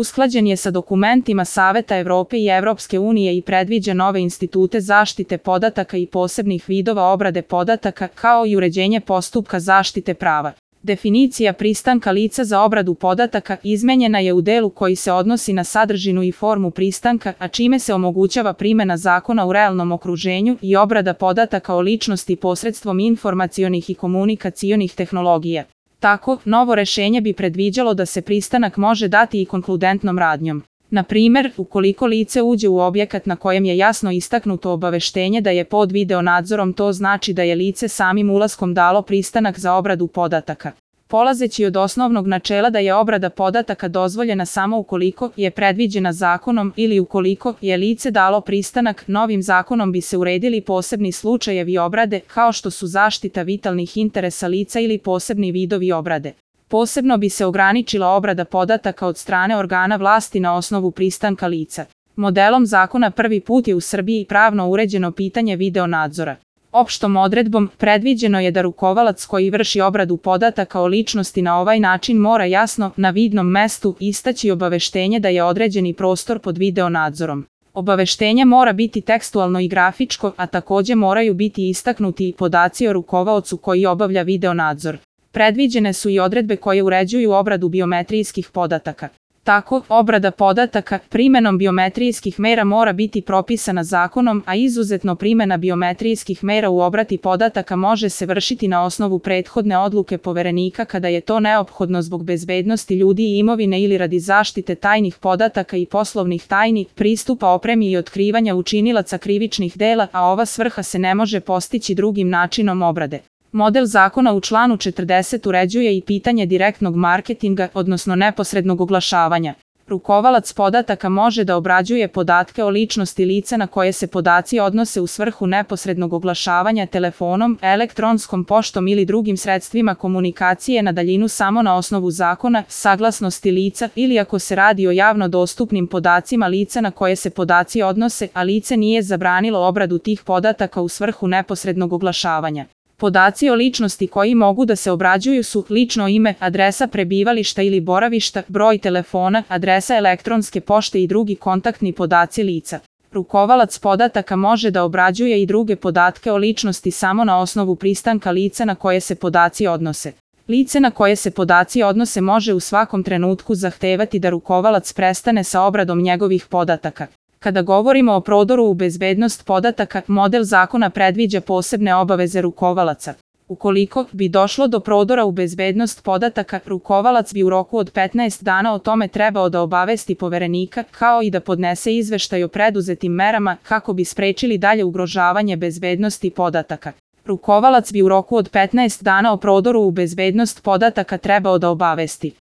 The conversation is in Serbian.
usklađen je sa dokumentima Saveta Evrope i Evropske unije i predviđa nove institute zaštite podataka i posebnih vidova obrade podataka, kao i uređenje postupka zaštite prava. Definicija pristanka lica za obradu podataka izmenjena je u delu koji se odnosi na sadržinu i formu pristanka, a čime se omogućava primena zakona u realnom okruženju i obrada podataka o ličnosti posredstvom informacionih i komunikacionih tehnologija. Tako, novo rešenje bi predviđalo da se pristanak može dati i konkludentnom radnjom. Na primer, ukoliko lice uđe u objekat na kojem je jasno istaknuto obaveštenje da je pod video nadzorom, to znači da je lice samim ulaskom dalo pristanak za obradu podataka. Polazeći od osnovnog načela da je obrada podataka dozvoljena samo ukoliko je predviđena zakonom ili ukoliko je lice dalo pristanak, novim zakonom bi se uredili posebni slučajevi obrade, kao što su zaštita vitalnih interesa lica ili posebni vidovi obrade. Posebno bi se ograničila obrada podataka od strane organa vlasti na osnovu pristanka lica. Modelom zakona prvi put je u Srbiji pravno uređeno pitanje video nadzora. Opštom odredbom predviđeno je da rukovalac koji vrši obradu podataka o ličnosti na ovaj način mora jasno, na vidnom mestu, istaći obaveštenje da je određeni prostor pod video nadzorom. Obaveštenje mora biti tekstualno i grafičko, a takođe moraju biti istaknuti i podaci o rukovaocu koji obavlja video nadzor. Predviđene su i odredbe koje uređuju obradu biometrijskih podataka. Tako, obrada podataka primenom biometrijskih mera mora biti propisana zakonom, a izuzetno primena biometrijskih mera u obradi podataka može se vršiti na osnovu prethodne odluke poverenika kada je to neophodno zbog bezbednosti ljudi i imovine ili radi zaštite tajnih podataka i poslovnih tajni, pristupa opremi i otkrivanja učinilaca krivičnih dela, a ova svrha se ne može postići drugim načinom obrade. Model zakona u članu 40 uređuje i pitanje direktnog marketinga, odnosno neposrednog oglašavanja. Rukovalac podataka može da obrađuje podatke o ličnosti lica na koje se podaci odnose u svrhu neposrednog oglašavanja telefonom, elektronskom poštom ili drugim sredstvima komunikacije na daljinu samo na osnovu zakona, saglasnosti lica ili ako se radi o javno dostupnim podacima lica na koje se podaci odnose, a lice nije zabranilo obradu tih podataka u svrhu neposrednog oglašavanja. Podaci o ličnosti koji mogu da se obrađuju su lično ime, adresa prebivališta ili boravišta, broj telefona, adresa elektronske pošte i drugi kontaktni podaci lica. Rukovalac podataka može da obrađuje i druge podatke o ličnosti samo na osnovu pristanka lica na koje se podaci odnose. Lice na koje se podaci odnose može u svakom trenutku zahtevati da rukovalac prestane sa obradom njegovih podataka. Kada govorimo o prodoru u bezbednost podataka, model zakona predviđa posebne obaveze rukovalaca. Ukoliko bi došlo do prodora u bezbednost podataka, rukovalac bi u roku od 15 dana o tome trebao da obavesti poverenika, kao i da podnese izveštaj o preduzetim merama kako bi sprečili dalje ugrožavanje bezbednosti podataka. Rukovalac bi u roku od 15 dana o prodoru u bezbednost podataka trebao da obavesti